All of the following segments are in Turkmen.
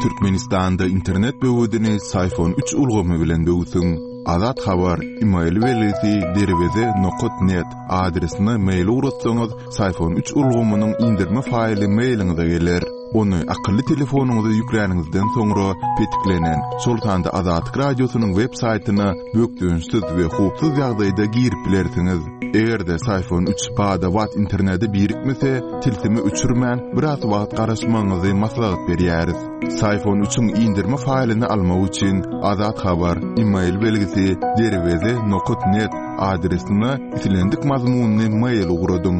Türkmenistanda internet böwedini Syfon üç ulgamy bilen böwsüň. Azat Habar, email belgisi derweze nokat net adresine mail ugratsaňyz, Syfon üç ulgamynyň indirme faýly mailiňize geler. Ony akylly telefonyňyza ýükläniňizden soňra petiklenen, şol sanda Azatlyk Radiosynyň web saýtyna bökdençsiz we howpsuz ýagdaýda girip bilersiňiz. Eger-de Syfon üç bada-bat internete birikmese, tilsimi öçürmän, biraz wagt garaşmagyňyzy maslahat berýäris. Syfon üçiň indirme faýlyny almak üçin Azat Habar, email belgisi, derweze nokat net adresine islendik mazmunly mail ugradyň.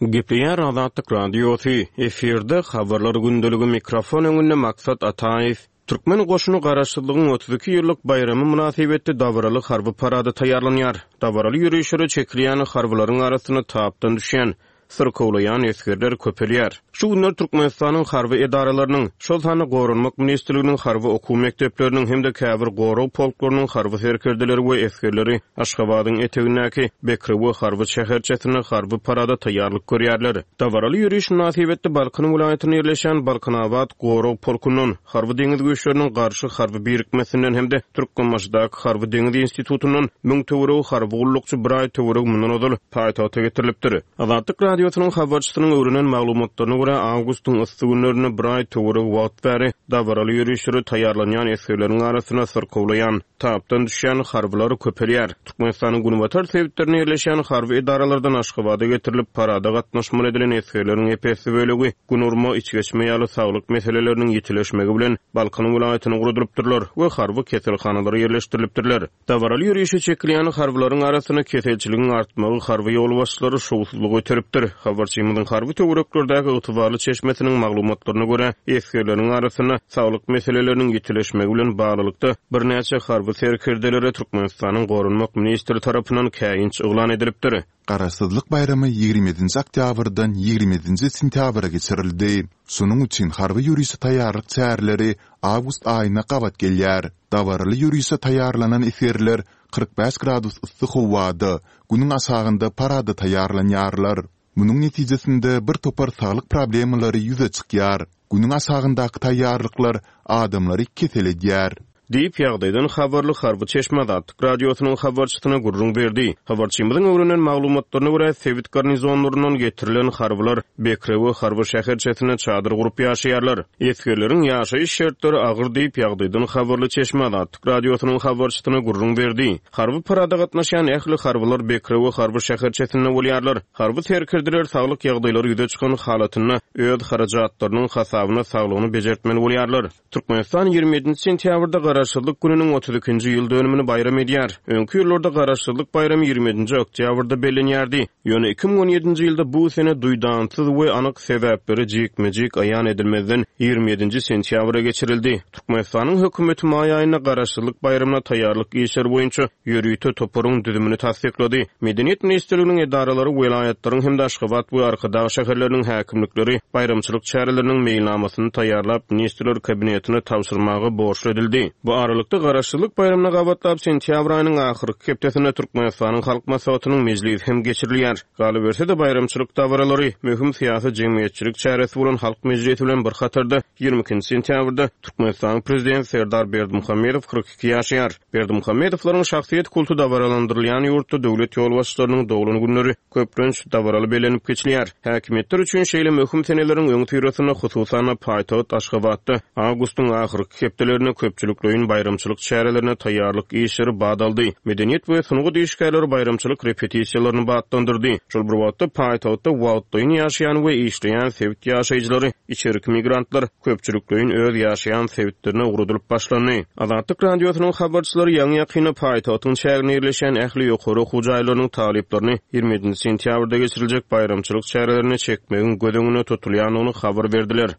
Gepleýär Azatlyk Radiosy, efirde Habarlar gündeligi mikrofon öňünde Maksat Ataýew. Türkmen goşuny Garaşsyzlygyň 32 ýyllyk baýramy mynasybetli dabaraly harby parada taýýarlanýar. Dabaraly ýörişlere çekilýän harbylaryň arasynda tapdan düşýän, syrkawlaýan esgerler köpelýär. Şu günler Türkmenistanyň harby edaralarynyň, şol sanda Goranmak ministrliginiň harby okuw mekdepleriniň hem-de käbir gorag polklarynyň harby serkerdeleri we esgerleri Aşgabadyň etegindäki Bekrewe harby şäherçesinde harby parada taýýarlyk görýärler. Dabaraly ýöriş mynasybetli Balkan welaýatynda ýerleşýän Balkanabat gorag polkundan, Harby-deňiz güýçleriniň Garşy harby birikmesinden hem-de Türkmenbaşydaky Harby-deňiz institutyndan müň töweregi harby gullukçy bir aý töweregi mundan ozal paýtagta getirilipdir. Azatlyk Radiosynyň habarçysynyň öwrenen maglumatlaryna görä, awgustyň yssy günlerinde bir aý töweregi wagt bäri dabaraly ýörişlere taýýarlanýan esgerleriň arasynda syrkawlaýan, tapdan düşýän harbylar köpelýär. Türkmenistanyň günbatar sebitlerinde ýerleşýän harby edaralardan Aşgabada getirilip, parada gatnaşmaly edilen esgerleriň ep-esli bölegi gün urma, içgeçme ýaly saglyk meseleleriniň ýitileşmegi bilen Balkan welaýatyna ugradylypdyrlar we harby keselhanalara ýerleşdirilipdirler. Dabaraly ýörişe çekilýän harbylaryň arasynda keselçiligiň artmagy harby ýolbaşçylary şowsuzlyga iteripdir. Habarçymyzyň harby töwereklerdäki ygtybarly çeşmesiniň maglumatlaryna görä, esgerleriň arasynda saglyk meseleleriniň ýitileşmegi bilen baglylykda, birnäçe harby serkerdelere Türkmenistanyň Goranmak ministri tarapyndan käýinç yglan edilipdir. Garaşsyzlyk baýramy 27-nji oktýabrdan 27-nji sentýabra geçirildi. Şonuň üçin harby ýörişe taýýarlyk çäreleri awgust aýyna gabat gelýär. Dabaraly ýörişe taýýarlanan esgerler 45 gradus yssy howada, Günüň aşagynda parada taýýarlanýarlar. Munuň netijesinde bir topar saglyk problemalary ýüze çykýar. Günüň aşagyndaky taýýarlyklar adamlary kesel edýär. Diýip, ýagdaýdan habarly harby çeşme Azatlyk Radiosynyň habarçysyna gürrüň berdi. Habarçymyzyň öwrenen maglumatlaryna görä, sebit garnizonlaryndan getirilen harbylar Bekrewe harby şäherçesinde çadyr gurup ýaşaýarlar. Esgerleriň ýaşaýyş şertleri agyr diýip, ýagdaýdan habarly çeşme Azatlyk Radiosynyň habarçysyna gürrüň berdi. Harby parada gatnaşýan ähli harbylar Bekrewe harby şäherçesinde bolýarlar. Harby serkerdeler saglyk ýagdaýlary ýüze çykan halatynda öz harajatlarynyň hasabyna saglygyny bejertmeli bolýarlar. Türkmenistan 27-nji sentýabrda Garaşsyzlyk gününiň 32-nji ýyl dönümini baýram edýär. Öňki ýyllarda Garaşsyzlyk baýramy 27-nji oktýabrda bellenýärdi. Ýöne 2017-nji ýylda bu sene duýdansyz we anyk sebäpleri jikme-jik aýan edilmezden 27-nji sentýabra geçirildi. Türkmenistanyň hökümeti maý aýynda Garaşsyzlyk baýramyna taýýarlyk işleri boýunça ýörite toparyň düzümini tassyklady. Medeniýet ministrliginiň edaralary, welaýatlaryň hem-de Aşgabat we Arkadag şäherleriniň häkimlikleri baýramçylyk çäreleriniň meýilnamasyny taýýarlap, Ministrler Kabinetine tabşyrmaga borçly edildi. Bu aralykda, Garaşsyzlyk baýramyna gabatlap, sentýabr aýynyň ahyrky hepdesinde Türkmenistanyň Halk Maslahatynyň mejlisi hem geçirilýär. Galyberse-de, baýramçylyk dabaralary, möhüm syýasy-jemgyýetçilik çäresi bolan Halk mejlisi bilen bir hatarda, 22 sentýabrda Türkmenistanyň Prezidenti Serdar Berdimuhamedow 42 ýaşaýar. Berdimuhamedowlaryň şahsyýet kulty dabaralandyrylýan ýurtda döwlet ýolbaşçylarynyň doglan günleri, köplenç, dabaraly bellenip geçilýär. Häkimiýetler üçin şeýle möhüm seneleriň öňüsyrasynda, hususan-da, paýtagt Aşgabatda awgustyň ahyrky hepdelerinde köpçülikleýin baýramçylyk çärelerine taýýarlyk işleri bat aldy. Medeniýet we sungat işgärleri baýramçylyk repetisiýalaryny batlandyrdy. Şol bir wagtda, paýtagtda wagtlaýyn ýaşaýan we işleýän sebit ýaşaýjylary Içerki migrantlar köpçülikleýin öz ýaşaýan sebitlerine ugradylyp başlandy. Azatlyk Radiosynyň habarçylary ýaňy-ýakynda paýtagtyň çäginde ýerleşýän ähli ýokary okuw jaýlarynyň talyplaryny 27 sentýabrda geçiriljek baýramçylyk çärelerine çekmegiň göz öňünde tutulýandygyny habar berdiler.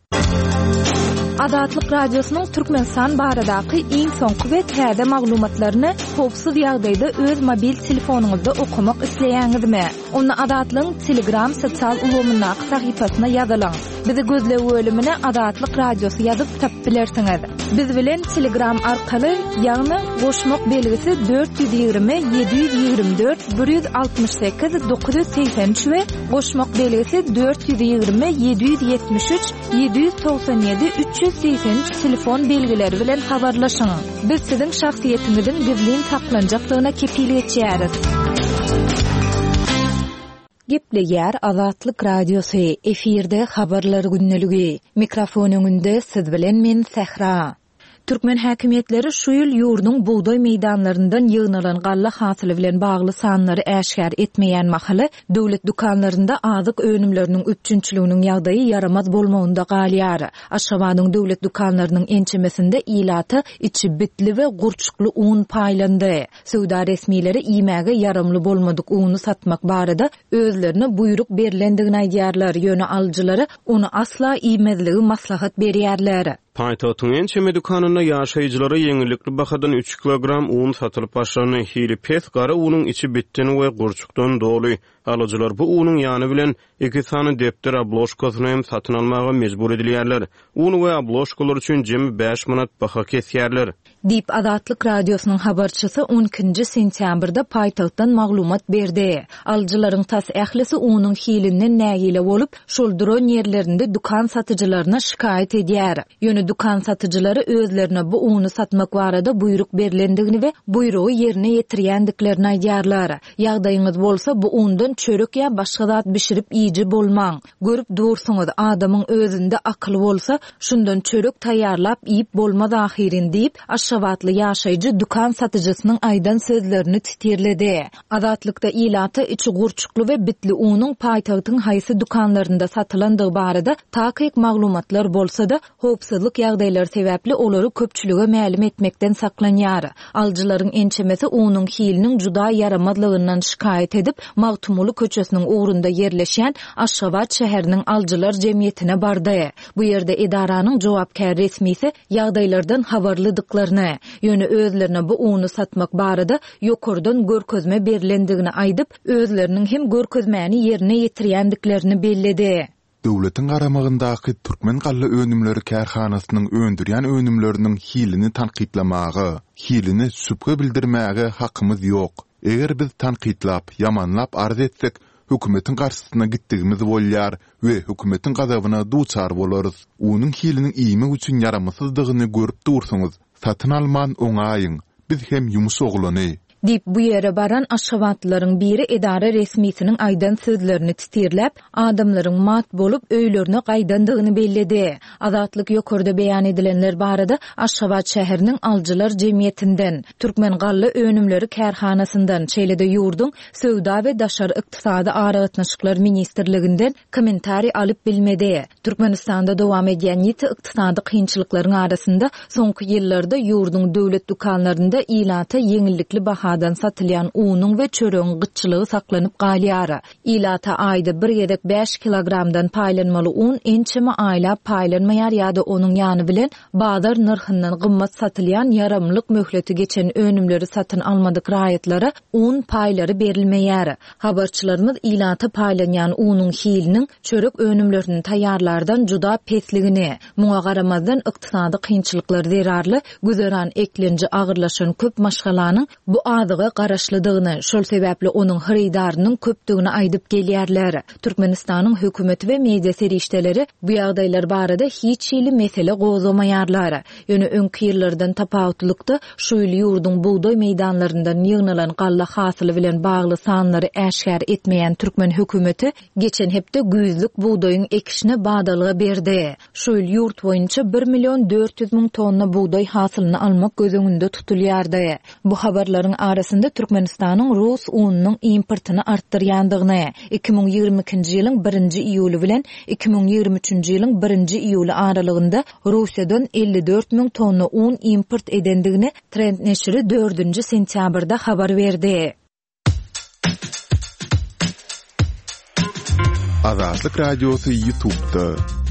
Azatlyk Radiosynyň Türkmenistan baradaky iň soňky we täze maglumatlaryny howpsuz ýagdaýda öz mobil telefonyňyzda okamak isleýäňizmi? Onda Azatlygyň Telegram sosial ulgamyndaky sahypasyna ýazylyň. Bizi gözleg bölümine Azatlyk Radiosy ýazyp tapyp bilersiňiz. Biz bilen Telegram arkaly, ýagny goşmak belgisi 420 724 168 983 we goşmak belgisi 420 773 797 383 telefon belgileri bilen habarlaşyň. Biz siziň şahsyýetiňiziň gizlin saklanjakdygyna kepil geçýäris. Gepleýär Azatlyk Radiosy, efirde Habarlar gündeligi. Mikrofon öňünde siz bilen men Sähra. Türkmen häkimiýetleri şu ýyl ýurduň bugdaý meýdanlaryndan ýygnalan galla hasyly bilen bagly sanlary äşgär etmeýän mahaly, döwlet dükanlarynda azyk önümleriniň üpjünçiliginiň ýagdaýy ýaramaz bolmagynda galýar. Aşgabadyň döwlet dükanlarynyň ençemesinde ilata içi bitli we gurçukly un paýlandy. Söwda resmileri iýmäge ýaramly bolmadyk uny satmak barada özlerine buýruk berlendigini aýdýarlar, ýöne alyjylara ony asla iýmezligi maslahat berýärler. Paýtagtyň ençeme dükanynda ýaşaýjylara ýeňillikli bahadan üç kilogram un satylyp başlandy. Hili pes gara unuň içi bitden we gurçukdan doly. Alyjylar bu unuň ýany bilen iki sany depder obložkasyny hem satyn almaga mejbur edilýärler. Un we obložkalar üçin jemi bäş manat baha kesýärler. Diýip, Azatlyk Radiosynyň habarçysy on ikinji sentýabrda paýtagtdan maglumat berdi. Alyjylaryň tas ählisi unuň hilinden nägile bolup, şol duran ýerlerinde dükan satyjylaryna şikaýat edýär. Ýöne dükan satyjylary özlerine bu uny satmak barada buýruk berlendigini we buýrugy ýerine ýetirýändiklerini aýdýarlar. Ýagdaýyňyz bolsa, bu undan çörek ýa başga zat bişirip iýiji bolmaň. Görüp dursuňyz, adamyň özünde akyl bolsa, şundan çörek taýýarlap iýip bolmaz ahyryn diýip, aşgabatly ýaşaýjy dükan satyjysynyň aýdan sözlerini titirledi. Azatlykda ilata içi gurçukly we bitli unuň paýtagtyň haýsy dükanlarynda satylandygy barada takyk maglumatlar bolsa-da, Howpsuzlyk ýagdaýlary sebäpli olary köpçülige mälim etmekden saklanýar. Alyjylaryň ençemesi unuň hiliniň juda ýaramazlygyndan şikaýat edip, Magtymguly köçesiniň ugrunda ýerleşýän Aşgabat şäheriniň alyjylar jemgyýetine bardy. Bu ýerde edaranyň jogapkär resmisi ýagdaýlardan habarlydyklaryny, ýöne özlerine bu uny satmak barada ýokardan görkezme berlendigini aýdyp, özleriniň hem görkezmäni ýerine ýetirýändiklerini belledi. Döwletiň garamagyndaky Türkmen galla önümleri kärhanasynyň öndürýän önümleriniň hilini tankytlamaga, hiline şübhe bildirmäge hakymyz ýok. Eger biz tankytlap, ýamanlap arz etsek, hökümetiň garşysyna gitdigimiz bolýar we hökümetiň gazabyna duçar bolarys. Unuň hiliniň iýmek üçin ýaramsyzdygyny görüp dursuňyz, satyn alman oňaýyň, biz hem ýumuş oglany. Diýip, bu ýere baran aşgabatlylaryň biri edara resmisiniň aýdan sözlerini titirläp, adamlaryň mat bolup, öýlerine gaýdandygyny belledi. Azatlyk ýokarda beýan edilenler barada Aşgabat şäheriniň Alyjylar jemgyýetinden, Türkmen galla önümleri kärhanasyndan, şeýle-de ýurduň Söwda we daşary ykdysady aragatnaşyklar ministrliginden kommentariý alyp bilmedi. Türkmenistanda dowam edýän ýiti ykdysady kynçylyklaryň arasynda soňky ýyllarda ýurduň döwlet dükanlarynda ilata ýeňillikli bahadan satylýan unuň we çöregiň gytçylygy saklanyp galýar. Ilata aýda bir gezek bäş kilogramdan paýlanmaly un ençeme aýlap paýlanmaýar ýa-da onuň ýany bilen bazar nyrhyndan gymmat satylýan ýaramlyk möhleti geçen önümleri satyn almadyk raýatlara un paýlary berilmeýär. Habarçylarymyz ilata paýlanýan unuň hiliniň çörek önümlerini taýýarlardan juda pesligini, muňa garamazdan ykdysady kynçylyklar zerarly güzeran eklenji agyrlaşan köp maşgalanyň bu azyga garaşlydygyny, şol sebäpli onuň hyrydarynyň köpdügini aýdyp gelýärler. Türkmenistanyň hökümeti we media serişdeleri bu ýagdaýlar barada hiç hili mesele gozgamaýarlar. Ýöne öňki ýyllardan tapawutlykda, şu ýyl ýurduň bugdaý meýdanlaryndan ýygnalan galla hasyly bilen bagly sanlary äşgär etmeýän türkmen hökümeti geçen hepde güýzlük bugdaýyň ekişine badalga berdi. Şu ýyl ýurt boýunça bir million 400 müň tonna bugdaý hasylyny almak göz öňünde tutulýardy. Bu habarlaryň arasynda Türkmenistanyň rus ununyň importyny artdyrýandygyny, 2022-nji ýylyň birinji iýuly bilen 2023-nji ýylyň birinji iýuly aralygynda Russiýadan 54 müň tonna un import edendigini Trend neşiri dördünji sentýabrda habar berdi. Azatlyk Radiosy YouTube'da.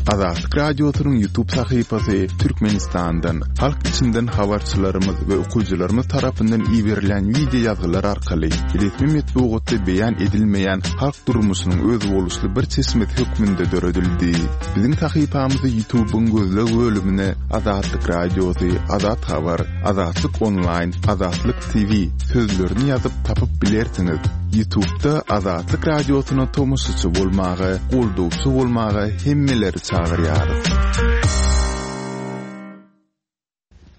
Azatlyk Radiosynyň YouTube sahypasy Türkmenistandan, halk içinden habarçylarymyz we okyjylarymyz tarapyndan iberilýän wideo ýazgylar arkaly resmi metbugatda beýan edilmeýän halk durmuşynyň özboluşly bir çeşmesi hökmünde döredildi. Biziň sahypamyzy YouTube-yň gözleg bölümine Azatlyk Radiosy, Azat Habar, Azatlyk Onlaýn, Azatlyk TV sözlerini ýazyp tapyp bilersiňiz. Ýutubda Azatlyk Radiosyna tomaşaçy bolmaga, goldawçy bolmaga hemmeleri çagyrýarys.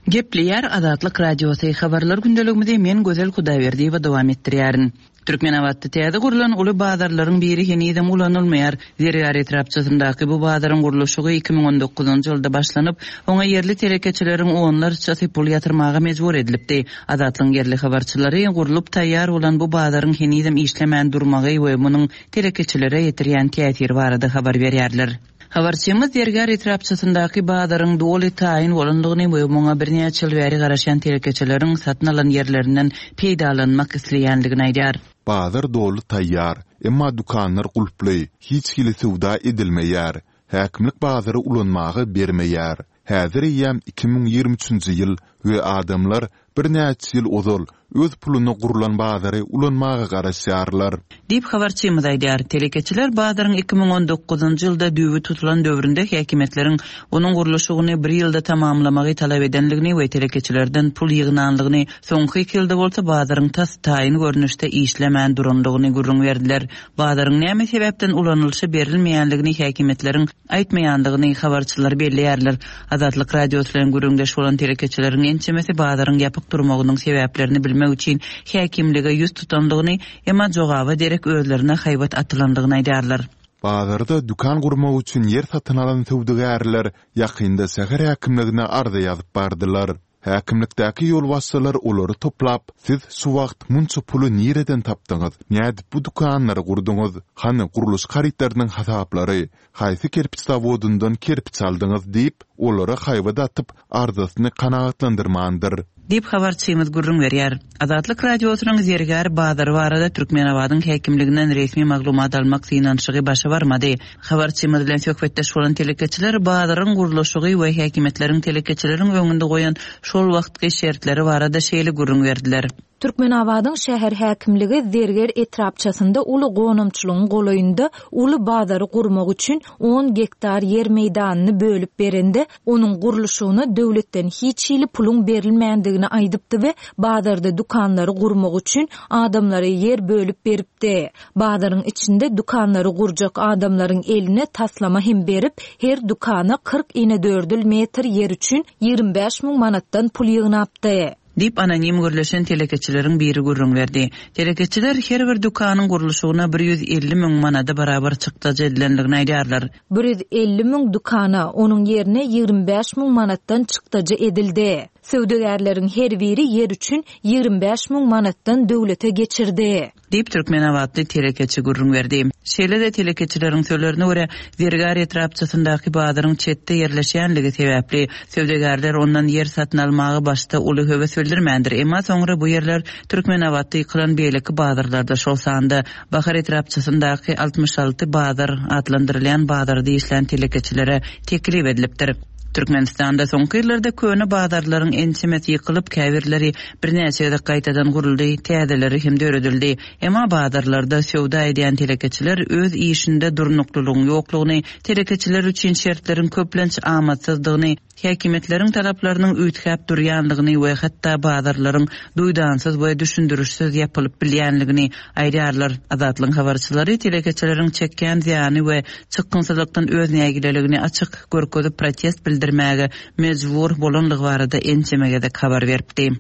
Gepleýär Azatlyk Radiosy, Habarlar gündeligimizi men Gözel Hudaýberdiýewa dowam etdirýärin. Türkmenabatda täze gurlan uly bazarlaryň biri henizem ulanylmaýar. Zergär etrapçasyndaky bu bazaryň gurluşygy 2019-njy ýylda başlanyp, oňa ýerli telekeçileriň onlarçasy pul ýatyrmaga mejbur edilipdi. Azatlygyň ýerli habarçylary gurlup taýýar bolan bu bazaryň henizem işlemän durmagy we munuň telekeçilere ýetirýän täsiri barada habar berýärler. Habarçymyz Zergär etrapçasyndaky bazaryň doly taýyn bolandygyny we muňa birnäçe ýyl bäri garaşýan telekeçileriň satyn alan ýerlerinden peýdalanmak isleýändigini aýdýar. Bazar doly taýýar, emma dükanlar gulply, hiç hili söwda edilmeýär. Häkimlik bazary ulanmaga bermeýär. Häzir eýýäm 2023-nji ýyl we adamlar birnäçe ýyl ozal öz puluna gurlan bazary ulanmaga garaşýarlar. Diýip, habarçymyz aýdýar. Telekeçiler bazaryň 2019-njy ýylda düýbi tutulan döwründe häkimiýetleriň onuň gurluşygyny bir ýylda tamamlamagy talap edendigini we telekeçilerden pul ýygnandygyny, soňky iki ýylda bolsa bazaryň tas taýyn görnüşde işlemän durandygyny gürrüň berdiler. Bazaryň näme sebäpden ulanylyşa berilmeýändigini häkimiýetleriň aýtmaýandygyny habarçylar belleýärler. Azatlyk Radiosy bilen gürrüňdeş bolan telekeçileriň ençemesi bazaryň ýapyk durmagynyň sebäplerini bilmek üçin häkimlige ýüz tutandygyny, emma jogaba derek özlerine haýbat atylandygyny aýdýarlar. Bazarda dükan gurmak üçin ýer satyn alan söwdagärler ýakynda şäher häkimligine arza ýazyp bardylar. Häkimlikdäki ýolbaşçylar olary toplap, Siz şu wagt munça puly nireden tapdyňyz, nädip bu dükanlary gurduňyz, hany gurluşyk harytlarynyň hasaplary, haýsy kerpiç zawodyndan kerpiç aldyňyz diýip, olara haýbat atyp, arzasyny kanagatlandyrmandyr. Diýip, habarçymyz gürrüň berýär. Azatlyk Radiosynyň Zergär bazary barada Türkmenabadyň häkimliginden resmi maglumat almak synanyşygy başa barmady. Habarçymyz bilen söhbetdeş bolan telekeçiler bazaryň gurluşygy we häkimiýetleriň telekeçileriň öňünde goýan şol wagtky şertleri barada şeýle gürrüň berdiler. Türkmenabadyň şäher häkimligi Zerger etrapçasynda uly gonamçylygyň golaýynda uly bazary gurmak üçin on gektar ýer meýdanyny bölüp berende, onuň gurluşygyna döwletden hiç hili puluň berilmändigini aýdypdy we bazarda dükanlary gurmak üçin adamlara ýer bölüp beripdi. Bazaryň içinde dükanlary gurjak adamlaryň eline taslama hem berip, her dükana 40 inedördül metr ýer üçin 25 müň manatdan pul ýygnapdy. Diýip, anonim gürleşen telekeçileriň biri gürrüň berdi. Telekeçiler her bir dükanyň gurluşygyna 150 müň manada barabar çykdajy edilendigini aýdýarlar. 150 müň dükana, onuň ýerine 25 müň manatdan çykdajy edildi. Söwdagärleriň her biri ýer üçin 25 müň manatdan döwlete geçirdi. Diýip, türkmenabatly telekeçi gürrüň berdi. Şeýle-de telekeçileriň sözlerine görä, Zergär etrapçasyndaky bazaryň çetde ýerleşýänligi sebäpli, söwdagärler ondan ýer satyn almaga başda uly höwes bildirmändir. Emma soňra bu ýerler Türkmenabatda ýykylan beýleki bazarlarda, şol sanda Bahar etrapçasyndaky 66 bazar atlandyrylýan bazarda işlän telekeçilere teklip edilipdir. Türkmenistanda soňky ýyllarda köne bazarlaryň ençemesi ýykylyp, käbirleri birnäçe gezek gaýtadan guruldy, täzeleri hem döredildi. Emma bazarlarda söwda edýän telekeçiler öz işinde durnuklylygyň ýoklugyny, telekeçiler üçin şertleriň köplenç amatsyzdygyny, häkimiýetleriň talaplarynyň üýtgäp durýandygyny we hatda bazarlaryň duýdansyz we düşündirişsiz ýapylyp bilýänligini aýdýarlar. Azatlygyň habarçylary telekeçileriň çekýän zyýany we çykgynsyzlykdan öz nägileligini açyk görkezip protest bildirmäge mejbur bolandygy barada ençeme gezek habar beripdi.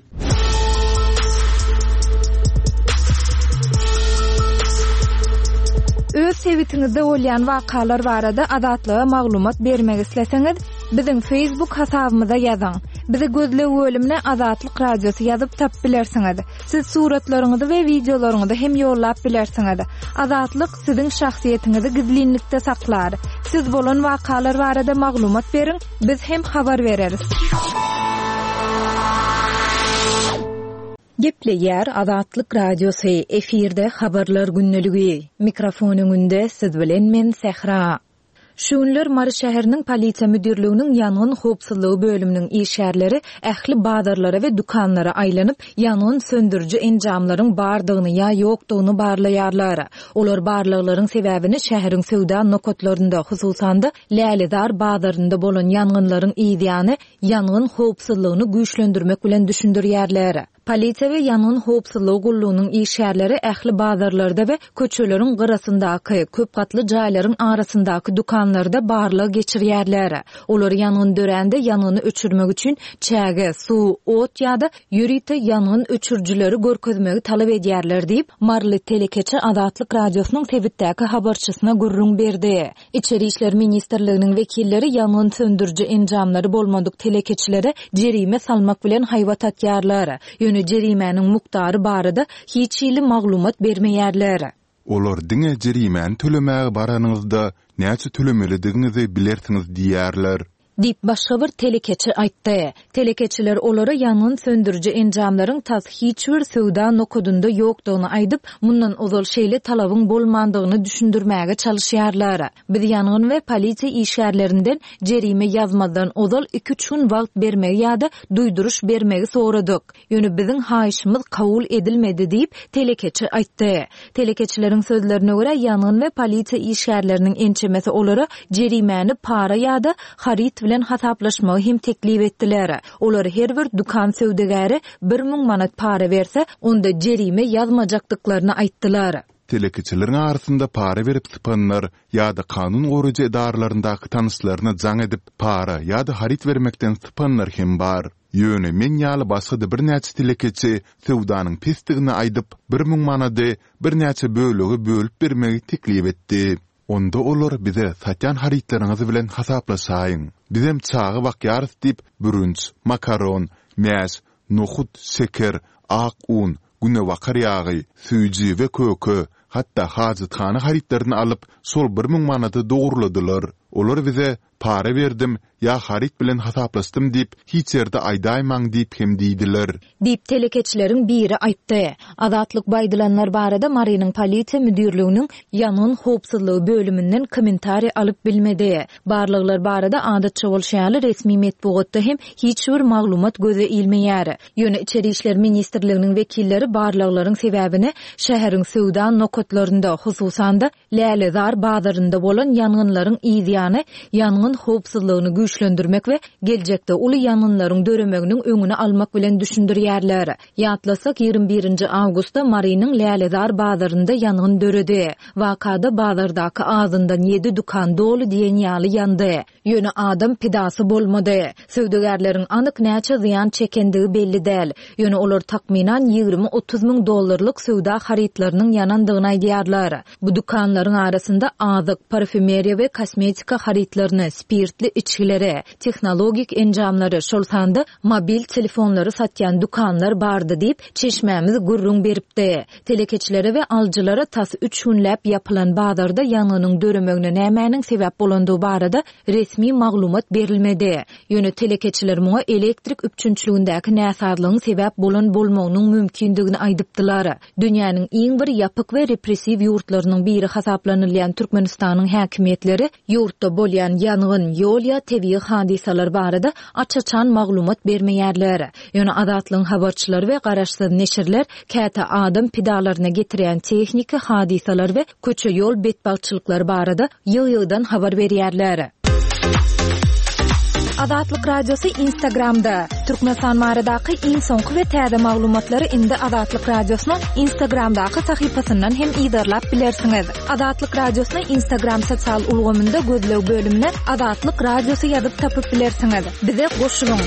Öz sebitiňizde bolýan wakalar barada Azatlyga maglumat bermek isleseňiz, biziň Facebook hasabymyza ýazyň. Bizi gözleg bölümine Azatlyk Radiosy ýazyp tapyp bilersiňiz. Siz suratlaryňyzy we wideolaryňyzy hem ýollap bilersiňiz. Azatlyk siziň şahsyýetiňizi gizlinlikde saklar. Siz bolan wakalar barada maglumat beriň, biz hem habar bereris. Gepleýär Azatlyk Radiosy, efirde Habarlar gündeligi. Mikrofon öňünde siz bilen men Sähra. Şu günler Mary şäheriniň Polisiýa müdirliginiň ýangyn howpsuzlygy bölüminiň işgärleri ähli bazarlara we dükanlara aýlanyp, ýangyn söndüriji enjamlaryň bardygyny ýa ýokdugyny barlaýarlar. Olar barlaglaryň sebäbini şäheriň söwda nokatlarynda, hususan-da, Lälezar bazarynda bolan ýangynlaryň yzýany ýangyn howpsuzlygyny güýçlendirmek bilen düşündirýärler. Polisiýa we ýangyn howpsuzlygy gullugynyň işgärleri ähli bazarlarda we köçeleriň gyrasyndaky, köp gatly jaýlaryň arasyndaky dükanlarda barlag geçirýärler. Olar ýangyn dörände ýangyny öçürmek üçin çäge, suw, ot ýa-da ýörite ýangyn öçürijileri görkezmegi talap edýärler diýip, maryly telekeçi Azatlyk Radiosynyň sebitdäki habarçysyna gürrüň berdi. Içeri işler ministrliginiň wekilleri ýangyn söndüriji enjamlary bolmadyk telekeçilere jerime salmak bilen haýbat atýarlar. Ýöne jerimäniň mukdary barada hiç hili maglumat bermeýärler. Olar diňe jerimäni tölemäge baranyňyzda näçe tölemelidigiňizi bilersiňiz diýýärler. Diýip, başga bir telekeçi aýtdy. Telekeçiler olara ýangyn söndüriji enjamlaryň tas hiç bir söwda nokadynda ýokdugyny aýdyp, mundan ozal şeýle talabyň bolmandygyny düşündirmäge çalyşýarlar. Biz ýangyn we polisiýa işgärlerinden jerime ýazmazdan ozal iki-üç gün wagt bermegi ýa-da duýduryş bermegi soradyk. Ýöne biziň haýyşymyz kabul edilmedi diýip, telekeçi aýtdy. Telekeçileriň sözlerine görä, ýangyn we polisiýa işgärleriniň ençemesi olara jerimäni para ýa-da haryt bilen hasaplaşmagy hem teklip etdiler. Olar her bir dükan söwdagäri 1000 manat para berse, onda jerime ýazmajakdyklaryny aýtdylar. Telekeçileriň arasynda para berip sypanlar ýa-da kanun goraýjy edaralaryndaky tanyşlaryna jaň edip, para ýa-da haryt bermekden sypanlar hem bar. Ýöne men ýaly başga-da birnäçe telekeçi söwdanyň pesdigini aýdyp, 1000 manady birnäçe bölege bölüp bermegi teklip etdi. Onda olar bize satýan harytlaryňyz bilen hasaplaşaýyň. Bizem çaga bakýarys diýip, bürünç, makaron, mäş, nohut, şeker, ak un, günebakar ýagy, süýji we köke, hatda hajathana harytlaryny alyp, şol 1000 manady dogurladylar. Olar bize Para berdim ýa haryt bilen hasaplaşdym diýip hiç ýerde aýdaýmaň diýip hem diýdiler. Diýip, telekeçileriň biri aýtdy. Azatlyk bu aýdylanlar barada Marynyň polisiýa müdirliginiň ýangyn howpsuzlygy bölüminden kommentariý alyp bilmedi. Barlaglar barada adatça bolşy ýaly resmi metbugatda hem hiç bir maglumat göze ilmeýär. Ýöne Içeri işler ministrliginiň wekilleri barlaglaryň sebäbini şäheriň söwda nokatlarynda, hususan-da, Lälezar bazarynda bolan ýangynlaryň yzýany ýangyn howpsuzlygyny güýçlendirmek we geljekde uly ýangynlaryň döremeginiň öňüni almak bilen düşündirýärler. Ýatlasak, 21 nji awgustda Marynyň Lälezar bazarynda ýangyn döredi. Wakada bazardaky azyndan ýedi dükan doly diýen ýaly ýandy. Ýöne adam pidasy bolmady. Söwdagärleriň anyk näçe zyýan çekendigi belli däl. Ýöne olar takmynan 20-30 müň dollarlyk söwda harytlarynyň ýanandygyny aýdýarlar. Bu dükanlaryň arasynda azyk, parfýumeriýa we kosmetika harytlaryny, spirtli içgileri, tehnologik enjamlary, şol sanda mobil telefonlary satýan dükanlar bardy diýip, çeşmämiz gürrüň beripdi. Telekeçilere we alyjylara tas üç günläp ýapylan bazarda ýangynyň döremegine nämäniň sebäp bolandygy barada resmi maglumat berilmedi. Ýöne telekeçiler muňa elektrik üpjünçiligindäki näsazlygyň sebäp bolan bolmagynyň mümkindigini aýdypdylar. Dünýäniň iň bir ýapyk we repressiw ýurtlarynyň biri hasaplanylýan Türkmenistanyň häkimiýetleri ýurtda bolýan ýangyn, ýol ýa tebigy hadysalar barada aç-açan maglumat bermeýärler. Ýöne Azatlygyň habarçylary we garaşsyz neşirler käte adam pidalaryna getirýän tehniki hadysalar we köçe-ýol betbagtçylyklary barada ýygy-ýygydan habar berýärler. Azatlyk Radiosy Instagramda, Türkmenistan baradaky iň soňky we täze maglumatlary indi Azatlyk Radiosynyň Instagramdaky sahypasyndan hem yzarlap bilersiňiz. Azatlyk Radiosyny Instagram sosial ulgamynda gözleg bölümine Azatlyk Radiosy ýazyp tapyp bilersiňiz. Bize goşulyň!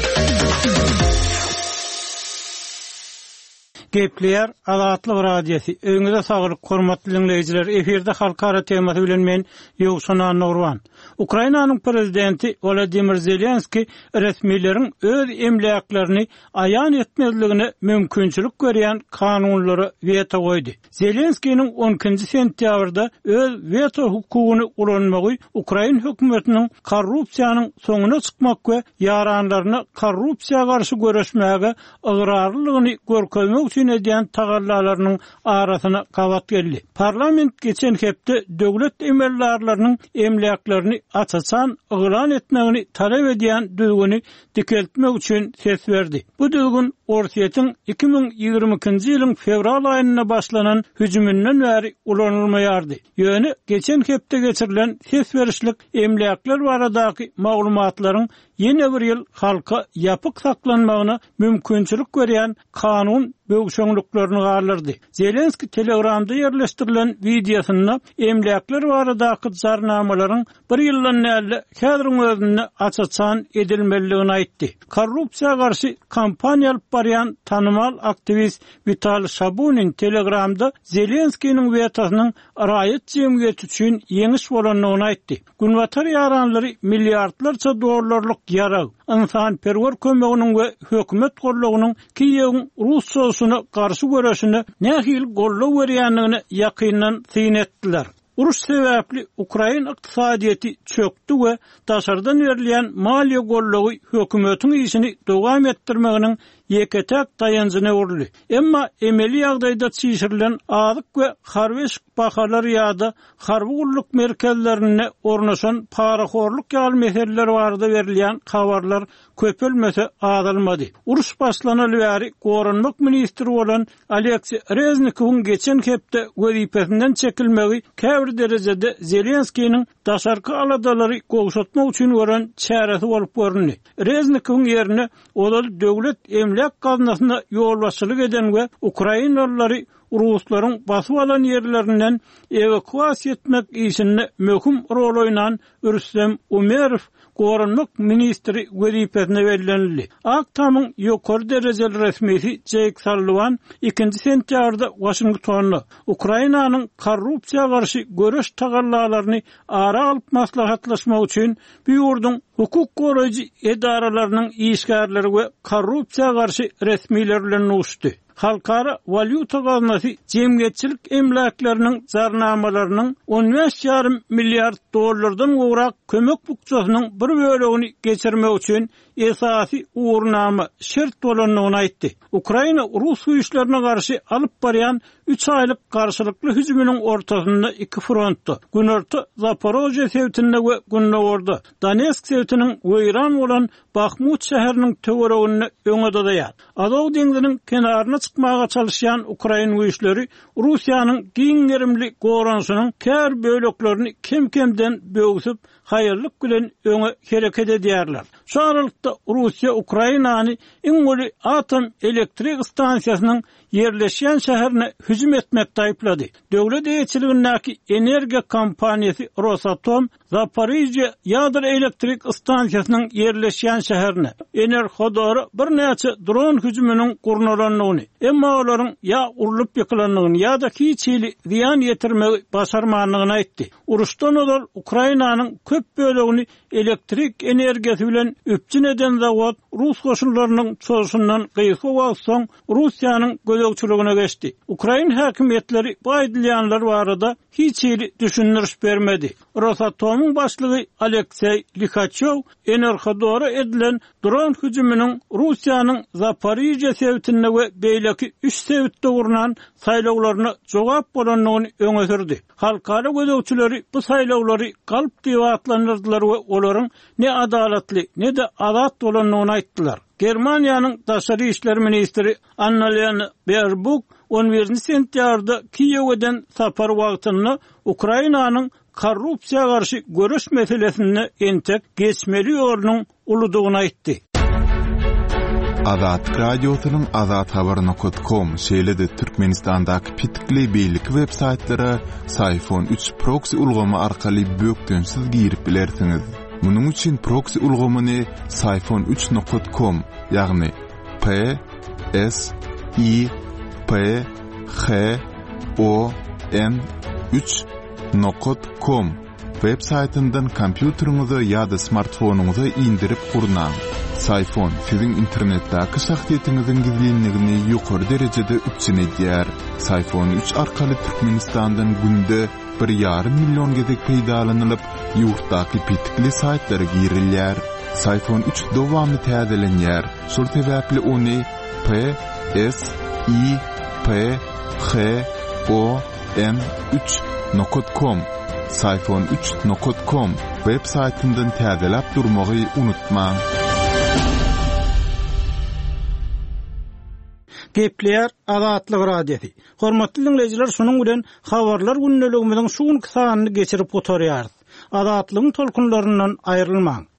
Gepleýär Azatlyk Radiosy, Öýüňize saglyk, hormatly diňleýjiler! Efirde Halkara temasy bilen men, Ýowşan Annagurban. Ukrainanyň prezidenti Wolodymyr Zelenskiý resmileriň öz emläklerini aýan etmezligine mümkinçilik berýän kanunlara weto goýdy. Zelenskiniň on ikinji sentýabrda öz weto hukugyny ulanmagy ukrain hökümetiniň korrupsiýanyň soňuna çykmak we ýaranlaryna korrupsiýa garşy göreşmäge ygrarlylygyny görkezmek üçin. üçin edýän tagallalarynyň arasyna gabat geldi. Parlament geçen hepde döwlet emeldarlarynyň emläklerini aç-açan yglan etmegini talap edýän düzgüni dikeltmek üçin ses berdi. Bu düzgün Orsýetiň 2022-nji ýylyň fewral aýynda başlanan hüjüminden bäri ulanylmaýardy. Ýöne geçen hepde geçirilen ses berişlik emläkler baradaky maglumatlaryň ýene bir ýyl halka ýapyk saklanmagyna mümkinçilik berýän kanun böwşeňliklerini galdyrdy. Zelenskiý Telegramda ýerleşdirilen wideosynda emläkler baradaky jarnamalaryň bir ýyldan däl-de, häziriň özünde aç-açan edilmelidigini aýtdy. Korrupsiýa garşy kampaniýa alyp barýan tanymal aktiwist Witaliý Şabunin Telegramda Zelenskiniň wetosynyň raýat jemgyýeti üçin ýeňiş bolandygyny aýtdy. Günbatar ýaranlary milliardlarça dollarlyk ýarag, ynsanperwer kömeginiň we hökümet goldawynyň Kiýewiň rus çozuşyna garşy göreşine nähili goldaw berýändigine ýakyndan syn etdiler. Uruş sebäpli ukrain ykdysadyýeti çökdi we daşardan berilýän maliýe goldawy hökümetiň işini dowam etdirmeginiň ýeke-täk daýanjyna öwrüldi. Emma emeli ýagdaýda çişirilen azyk we harby eşik bahalary ýa-da harby gulluk merkezlerinde ornaşan parahorluk ýaly meseleler barada berilýän habarlar köpelmese azalmady. Uruş başlanaly bäri goranmak ministri bolan Aleksiý Reznikowyň geçen hepde wezipesinden çekilmegi käbir derejede Zelenskiniň daşarky aladalary gowşatmak üçin gören çäresi bolup göründi. Reznikowyň ýerine ozal Döwlet emläk gaznasyna ýolbaşçylyk eden we ukrainalylary ruslaryň basyp alan ýerlerinden ewakuasiýa etmek işinde möhüm rol oýnan Rüstem Umerow goranmak ministri wezipesine bellenildi. Ak Tamyň ýokary derejeli resmisi Jeýk Salliwan ikinji sentýabrda Waşingtonda Ukrainanyň korrupsiýa garşy göreş tagallalaryny ara alyp maslahatlaşmak üçin bu ýurduň hukuk goraýjy edaralarynyň işgärleri we korrupsiýa garşy resmiler bilen duşuşdy. Halkara walýuta gaznasy jemgyýetçilik emläkleriniň jarnamalarynyň on bäş ýarym milliard dollardan gowrak kömek bukjasynyň bir bölegini geçirmek üçin esasy ugurnama, şert bolandygyny aýtdy. Ukraina rus güýçlerine garşy alyp barýan üç aýlyk garşylykly hüjüminiň ortasynda iki frontda, günorta Zaporožýe sebitinde we gündogarda Donetsk sebitiniň weýran bolan Bahmut şäheriniň töwereginde öňe dyzaýar. Azow deňziniň kenaryna çykmaga çalyşýan ukrain güýçleri Russiýanyň giň gerimli goranyşynyň käbir böleklerini kem-kemden böwsüp, haýallyk bilen öňe hereket edýärler. Şu aralykda Russiýa Ukrainany iň uly atom elektrik stansiýasynyň ýerleşýän şäherine hüjüm etmekde aýyplady. Döwlet eýeçiligindäki energiýa kompaniýasy Rosatom Zaporižýe ýadro elektrik stansiýasynyň ýerleşýän şäherine Enerhodora birnäçe dron hüjüminiň gurnalandygyny, emma olaryň ýa urlup ýykylandygyny ýa-da hiç hili zyýan ýetirmegi başarmandygyny aýtdy. Uruşdan ozal Ukrainanyň köp bölegini elektrik energiýasy bilen üpjün eden zawod rus goşunlarynyň çozuşyndan gysga wagt soň Russiýanyň gözegçiligine geçdi. Ukrain häkimiýetleri bu aýdylýanlar barada hiç hili düşündiriş bermedi. Rosatomyň başlygy Alekseý Lihaçýow Enerhodora edilen dron hüjüminiň Russiýanyň Zaporižýe sebitinde we beýleki üç sebitde gurnan saýlawlaryna jogap bolandygyny öňe sürdi. Halkara gözegçileri bu saýlawlary galp diýip atlandyrdylar we olaryň ne adalatly, ne-de azat bolandygyny aýtdylar. Germaniýanyň daşary işler ministri Annalena Berbuk on birinji sentýabrda Kiýewe eden sapary wagtynda Ukrainanyň korrupsiýa garşy göreş meselesinde entek geçmeli ýolunyň uludygyny aýtdy. Azatlyk Radiosynyň azathabar nokat kom şeýle-de Türkmenistandaky petikli beýleki web saýtlara Syfon üç proksi ulgamy arkaly bökdençsiz girip bilersiňiz. Munuň üçin proksi ulgamyny Syfon üç nokat kom, ýagny P S I P H O N 3 nokat kom web saýtyndan kompýuteriňize ýa-da smartfonyňyza indirip gurnaň. Syfon siziň internetdäki şahsyýetiňiziň gizlinligini ýokary derejede üpjün edýär. Syfon 3 arkaly Türkmenistandan günde bir ýarym million gezek peýdalanylyp, ýurtdaky petikli saýtlara girilýär. Syfon üç dowamly täzelenýär, şol sebäpli ony P, S, I P H O N üç nokat kom Syfon üç nokat kom web saýtyndan täzeläp durmagy unutmaň. Gepleýär Azatlyk Radiosy. Hormatly diňleýjiler şunuň bilen Habarlar gündeligimiziň şu günki sanyny geçirip gutarýarys. Azatlygyň tolkunlaryndan aýrylmaň.